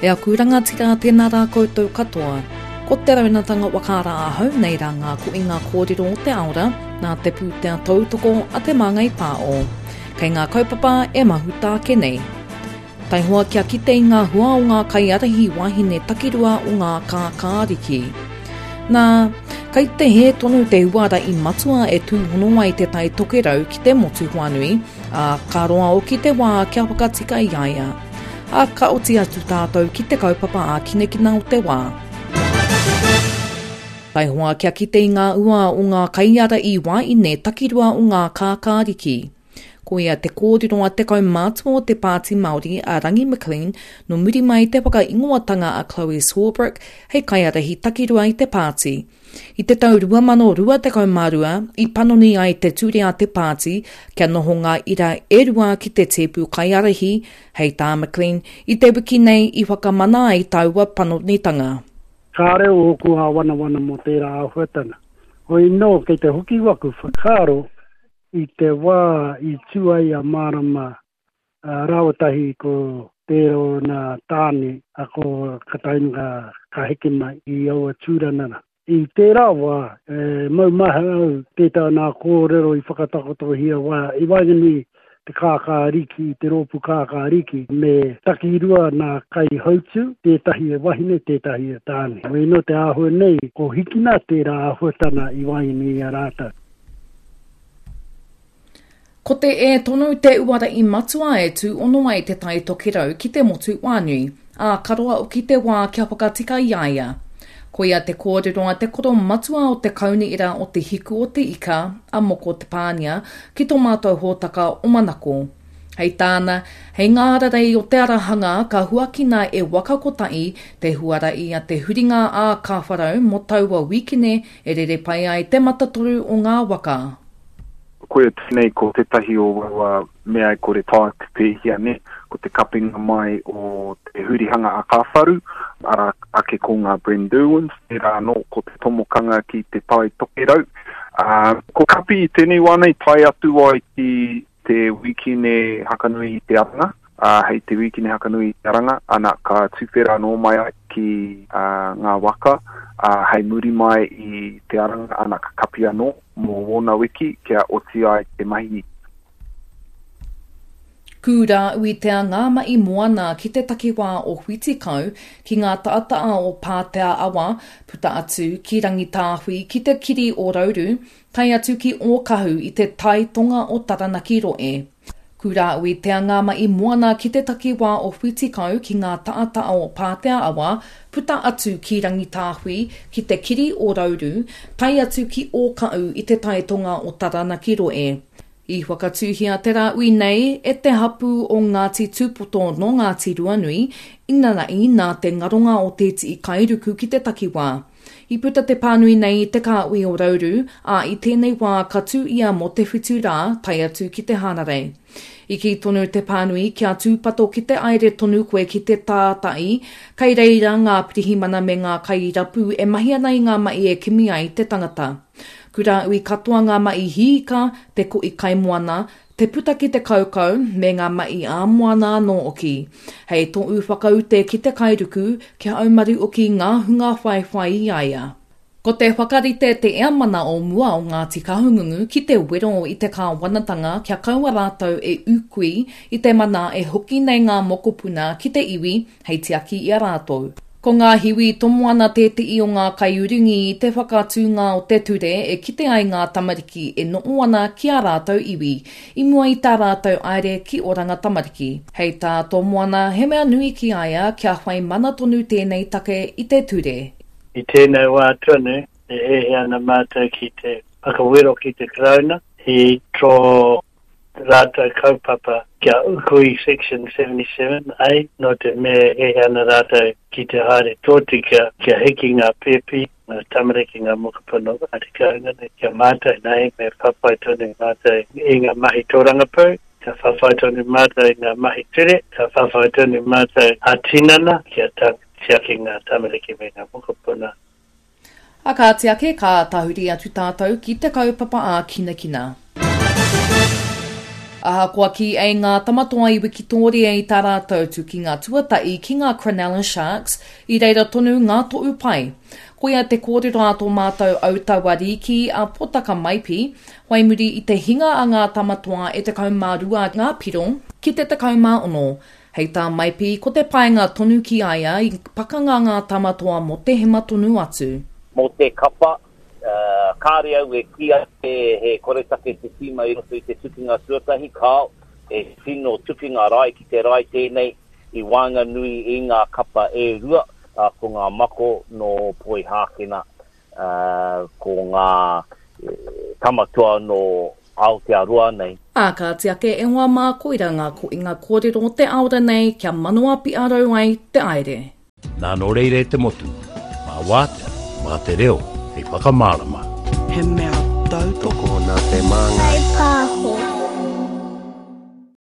E aku rangatira, tēnā rā koutou katoa. Ko te raunatanga whakaara ahau nei rā ngā koinga kōrero o te aora nā te pūtea tautoko a Te Māngai Pāo. Kei ngā kaupapa e mahuta ake nei. Taihoa kia kite i ngā hua o ngā kaiārahi wāhine takirua o ngā kākāriki. Nā, kei te hē tonu te huarahi matua e tūhono ai Te Tai Tokerau ki te motu whānui, ā, ka roa hoki te wā kia whakatika i a ia. Ā, ka oti atu tātou ki te kaupapa ākinakina o te wā. Taihoa kia kite i ngā ua o ngā kaiārahi wāine takirua o ngā kākāriki. Koia te kōrero a te kaumātua o te Pāti Māori a Rangi McLean nō muri mai i te whakaingoatanga a Chloe Swarbrick hei kaiārahi takirua i te pāti. I te tau 2022 i panoni ai te ture a te pāti kia noho ngā ira e rua ki te tēpu kaiārahi, hei tā McLean, i te wiki nei i whakamana ai taua panonitanga. Kāre ōku āwanawana mō tērā āhuatanga. Hoi nō, kei te hoki waku whakaaro i te wā i tū ai a Mārama rāua tahi ko tērā o nā tāne a ko Kataina ka heke mai i aua tūrana rā. I tērā wā, e maumahara au tētahi o nā kōrero i whakatakotohia wā i waenganui te kākāriki, te rōpū kākāriki me takirua nā kaihautū, tētahi e wahine, tētahi e tāne. Hoi anō te āhua nei, ko hikina tērā āhuatana i waenganui i a rātou. Ko te E tonu te uara i matua e tūhono ai Te Tai Tokerau ki te motu whānui, ā, ka roa hoki te wā kia whakatika i a ia. Koia te kōrero a te koro matua o te Kaunihera o Te Hiku o Te Ika, a Moko Te Pānia, ki tō mātou hōtaka o Manako. Hei tāna, hei ngā ararei o te ara hanga ka huakina e Waka Kotahi te huarahi a te huringa ā-Kāwharau mō taua wīkene e rere pai ai te matatoru o ngā waka. Koia tēnei ko tētahi o aua mea e kore taea te pēhia nē, ko te kapinga mai o te hurihanga a Kāwharu, arā ake ko ngā Brendurwins, tērā anō ko te tomokanga ki Te Tai Tokerau. Ā, ko Kapi i tēnei wā nei tae atu ai ki te wīkine Hakanui i te Aranga, ā, hei te wīkine Hakanui i te Aranga, ana, ka tuwhera anō mai ai ki ngā waka, ā, hei muri mai i te Aranga, ana, ka kapi anō mō wōna wiki kia oti ai te mahi. Kūrā Uitea ngā mahi moana ki te takiwā o Whitikau, ki ngā taata'a o Pātea Awa, puta atu ki Rangitāhui, ki te kiri o Rauru, tae atu ki Ōkahu i te tai tonga o Taranaki rohe. Kurāui Te Angāma'i Moana ki te takiwā o Whitikau ki ngā taata'a o Pātea Awa, puta atu ki Rangitāhui, ki te kiri o Rauru, tae atu ki Ōkahu i te tai tonga o Taranaki rohe. I whakatūhia te rāhui nei e te hapū o Ngāti Tūpoto nō Ngāti Ruanui, inanahi nā te ngaronga o tētihi kairuku ki te takiwā. I puta te pānui nei i te kāhui o Rauru, ā, i tēnei wā ka tū ia mō te whitu rā, tae atu ki te Hānarei. I kī tonu te pānui kia tūpato ki te aere tonu koe ki te tātai, kei reira ngā pirihimana me ngā kairapu e mahi ana i ngā mahi e kimi ai te tangata. Kurāui katoa ngā mahi hiika, te kohi kaimoana, Te puta ki te kaukau, me ngā mahi ā-moana anō hoki. Hei tōu whakaute ki te kairuku, kia aumaru hoki ngā hunga whaiwhai i a ia. Ko te whakarite te eamana o mua o Ngāti Kahungungu ki te wero i te kāwanatanga kia kaua rātou e ūkui i te mana e hoki nei ngā mokopuna ki te iwi hei tiaki i a rātou. Ko ngā hiwi tomo ana tētehi o ngā kaiurungi i te whakatūnga o te ture e kite ai ngā tamariki e noho ana ki ā rātou iwi, i mua i tā rātou aere ki Oranga Tamariki. Hei tā Tomoana, he mea nui ki a ia kia whai mana tonu tēnei take i te ture. I tēnei wā tonu, e hiahia ana mātou ki te whakawero ki te Karauna i tō rātou kaupapa kia uku i Section 77 A, nō te mea e hiahia ana rātou ki te haere tōtika kia hiki ngā pēpi, ngā tamariki, ngā mokopuna o Ngāti Kahungunu, kia mātou nei me whawhai tonu mātou i ngā mahi tōrangapū, ka whawhai tonu mātou i ngā mahi ture, ka whawhai tonu mātou ā-tinana kia tiaki ngā tamariki me ngā mokopuna. A kāti ake, ka tahuri atu tātou ki te kaupapa ākinakina. Ahakoa kī ai ngā Tamatoa i wikitōria i tā rātou tukinga tuatahi ki ngā Cronulla Sharks, i reira tonu ngā tohu pai. Koia te kōrero a tō mātou autauariki a Potaka Maipi, whai muri i te hinga a ngā Tamatoa e 12 ngā piro ki te 16. Hei tā Maipi, ko te painga tonu ki a ia i pakanga ngā Tamatoa mō te hema tonu atu. Mō te kapa, kāre au e kī ake he koretake te tīma i roto i te tukinga tuatahi, kāo, he tino tukinga rae ki te rae tēnei i waenganui i ngā kapa e rua, ko ngā mako nō Poihākena, ko ngā tama toa nō Aotearoa nei. Ā, kāti ake e hoa mā koira ngā koinga kōrero o te aora nei kia manoa piarau ai te aere. Nā nō reira e te motu, mā wātea, mā te reo hei whakamārama. He mea tautoko. Tokona te māngai.